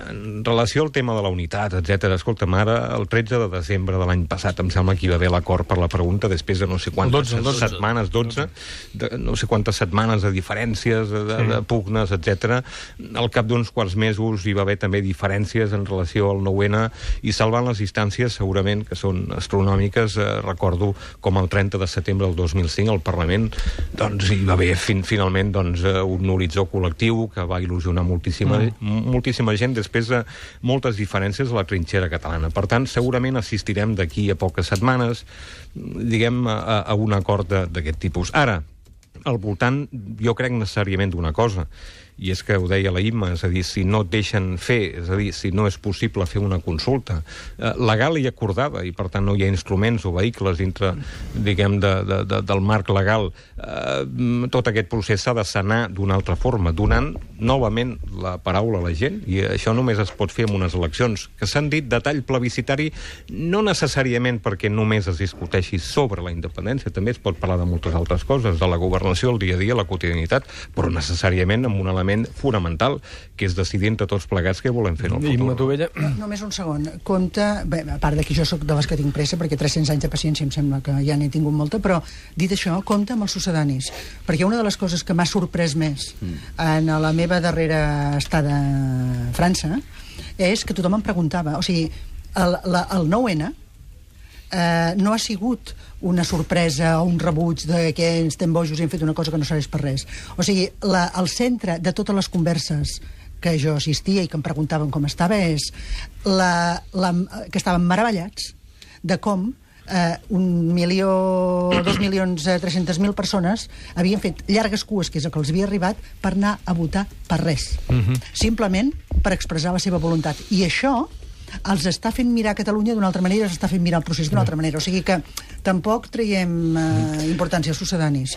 en relació al tema de la unitat, etc. Escolta'm, ara, el 13 de desembre de l'any passat, em sembla que hi va haver l'acord per la pregunta, després de no sé quantes setmanes, 12, no sé quantes setmanes de diferències, de pugnes, etc. Al cap d'uns quants mesos hi va haver també diferències en relació al 9-N, i salvant les distàncies, segurament, que són astronòmiques, recordo com el 30 de setembre del 2005 al Parlament doncs hi va haver finalment un horitzó col·lectiu que va il·lusionar moltíssima gent després de moltes diferències a la trinxera catalana. Per tant, segurament assistirem d'aquí a poques setmanes, diguem, a un acord d'aquest tipus. Ara, al voltant, jo crec necessàriament d'una cosa, i és que ho deia la Imma, és a dir, si no et deixen fer, és a dir, si no és possible fer una consulta legal i acordada, i per tant no hi ha instruments o vehicles dintre, diguem, del marc legal, tot aquest procés s'ha de sanar d'una altra forma, donant novament la paraula a la gent, i això només es pot fer amb unes eleccions que s'han dit de tall plebiscitari, no necessàriament perquè només es discuteixi sobre la independència, també es pot parlar de moltes altres coses, de la governació, el dia a dia, la quotidianitat, però necessàriament amb un element fonamental, que és decidir entre tots plegats què volem fer en el futur. Només un segon. Compte, bé, a part que jo sóc de les que tinc pressa, perquè 300 anys de paciència em sembla que ja n'he tingut molta, però dit això, compte amb els succedanis, perquè una de les coses que m'ha sorprès més en la meva darrera estada a França és que tothom em preguntava, o sigui, el 9-N no ha sigut una sorpresa o un rebuig de que estem bojos i hem fet una cosa que no serveix per res. O sigui, el centre de totes les converses que jo assistia i que em preguntaven com estava és que estaven meravellats de com 2.300.000 persones havien fet llargues cues, que és el que els havia arribat, per anar a votar per res. Simplement per expressar la seva voluntat. I això els està fent mirar Catalunya d'una altra manera, els està fent mirar el procés d'una altra manera. O sigui que tampoc traiem importància als succedanis,